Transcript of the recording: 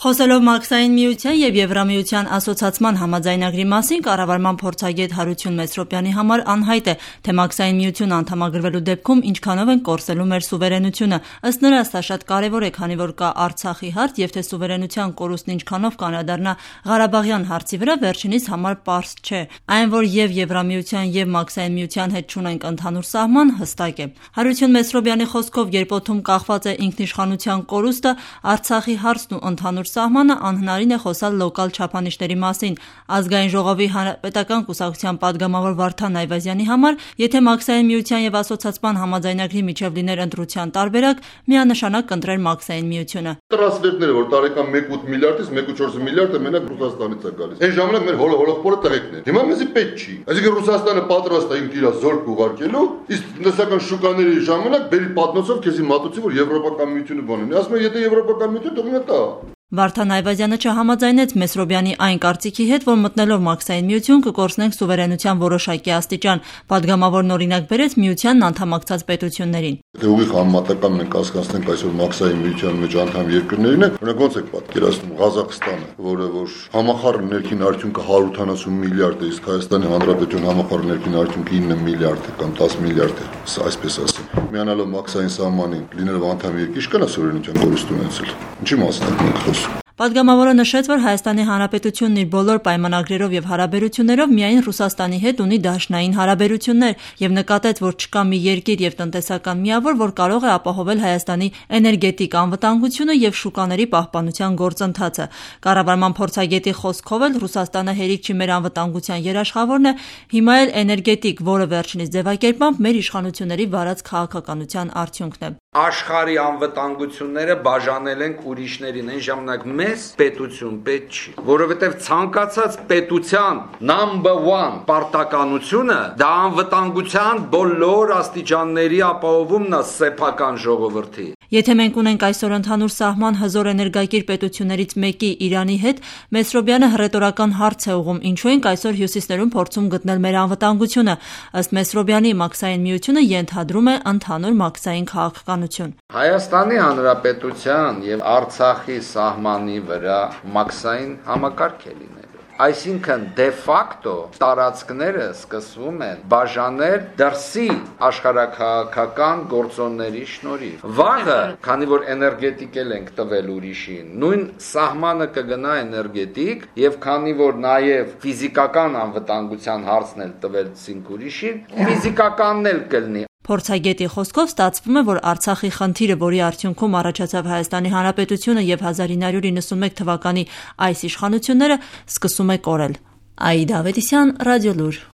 Խոսելով Մաքսային միության և Եվրամիության ասոցացման համաձայնագրի մասին, կառավարման փորձագետ Հարություն Մեսրոպյանի համար անհայտ է, թե Մաքսային միություն անդամագրվելու դեպքում ինչքանով են կորսելու մեր սուվերենությունը։ Ըստ նրա, սա շատ կարևոր է, քանի որ կա Արցախի հարց և թե սուվերենության կորուստն ինչքանով կանրադառնա Ղարաբաղյան հարցի վրա, վերջինիս համար պարզ չէ։ Այն, որ և Եվրամիության և Մաքսային միության հետ չունենք ընդհանուր սահման, հստակ է։ Հարություն Մեսրոպյանի խոսքով, երբ օդում կախված է ինքնիշխանության կորուստը, Արցախի հարցն ու ընդհանուր սահմանը, անհնարին է խոսալ լոկալ չափանիշների մասին։ Ազգային ժողովի հանրապետական կուսակցության պատգամավոր Վարդան Այվազյանի համար, եթե Մաքսային միության և ասոցացման համաձայնագրի միջև լիներ ընտրության տարբերակ, միանշանակ կընտրեր Մաքսային միությունը։ Տրանսֆերները, որ տարեկան 1.8 միլիարդից 1.4 միլիարդը մենակ Ռուսաստանից է գալիս։ Այն ժամանակ մեր հոլոխորը տեղեկն է։ Հիմա մեզի պետք չի։ Այսինքն Ռուսաստանը պատրաստ է ինքն իր զորք ուղարկելու, իսկ տնտեսական շուկաների ժամանակ բերի պատնոցով քեզի մատուցի, որ Եվրոպական միությունը բանն է։ Ասում եմ, եթե Եվրոպական միությունը թողնի տա։ Վարդան Այվազյանը չհամաձայնեց Մեսրոպյանի այն կարծիքի հետ, որ մտնելով Մաքսային միություն կկորցնենք սուվերենության որոշակի աստիճան։ Պատգամավորն օրինակ բերեց միությանն անդամակցած պետություններին։ Դե ուղիղ համեմատական մենք կասկածենք այսօր Մաքսային միության մեջ անդամ երկրներին են, օրինակ ոնց եք պատկերացնում Ղազախստանը, որը որ համախառն ներքին արդյունքը 180 միլիարդ է, իսկ Հայաստանի Հանրապետության համախառն ներքին արդյունքը 9 միլիարդ է կամ 10 միլիարդ է, այսպես ասեմ։ Միանալով Մաքսային սահմանին, լինելով անդամ երկիր, չկա սուվերենության կորուստ ունեցել։ Ինչի մասն ենք խոսում։ Պատգամավորը նշեց, որ Հայաստանի Հանրապետությունն իր բոլոր պայմանագրերով և հարաբերություններով միայն Ռուսաստանի հետ ունի դաշնային հարաբերություններ և նկատեց, որ չկա մի երկիր և տնտեսական միավոր, որ կարող է ապահովել Հայաստանի էներգետիկ անվտանգությունը և շուկաների պահպանության գործընթացը։ Կառավարման փորձագետի խոսքով էլ Ռուսաստանը հերիք չի մեր անվտանգության երաշխավորն է, հիմա էլ էներգետիկ, որը վերջինիս ձևակերպմամբ մեր իշխանությունների վարած քաղաքականության արդյունքն է։ Աշխարհի անվտանգությունները բաժանել ենք ուրիշներին, այն ժամանակ մեզ պետություն պետք չի, որովհետև ցանկացած պետության number 1 պարտականությունը դա անվտանգության բոլոր աստիճանների ապահովումն է սեփական ժողովրդի։ Եթե մենք ունենք այսօր ընդհանուր սահման հզոր էներգակիր պետություններից մեկի Իրանի հետ, Մեսրոպյանը հռետորական հարց է ուղղում, ինչու ենք այսօր հյուսիսներում փորձում գտնել մեր անվտանգությունը։ Ըստ Մեսրոպյանի, Մաքսային միությունը ենթադրում է ընդհանուր մաքսային քաղաքականություն։ Հայաստանի Հանրապետության եւ Արցախի սահմանի վրա մաքսային համակարգ է լինելու։ Այսինքն դե ֆակտո տարածքները սկսվում են բաժանել դրսի աշխարհաքաղաքական գործոնների շնորհիվ։ Վաղը, քանի որ էներգետիկ ենք տվել ուրիշին, նույն սահմանը կգնա էներգետիկ, եւ քանի որ նաեւ ֆիզիկական անվտանգության հարցն էլ տվեցինք ուրիշին, ֆիզիկականն էլ կլինի։ Փորձագետի խոսքով ստացվում է, որ Արցախի խնդիրը, որի արդյունքում առաջացավ Հայաստանի Հանրապետությունը և 1991 թվականի այս իշխանությունները, սկսում է կորել։ Աիդա Ավետիսյան, Ռադիոլուր։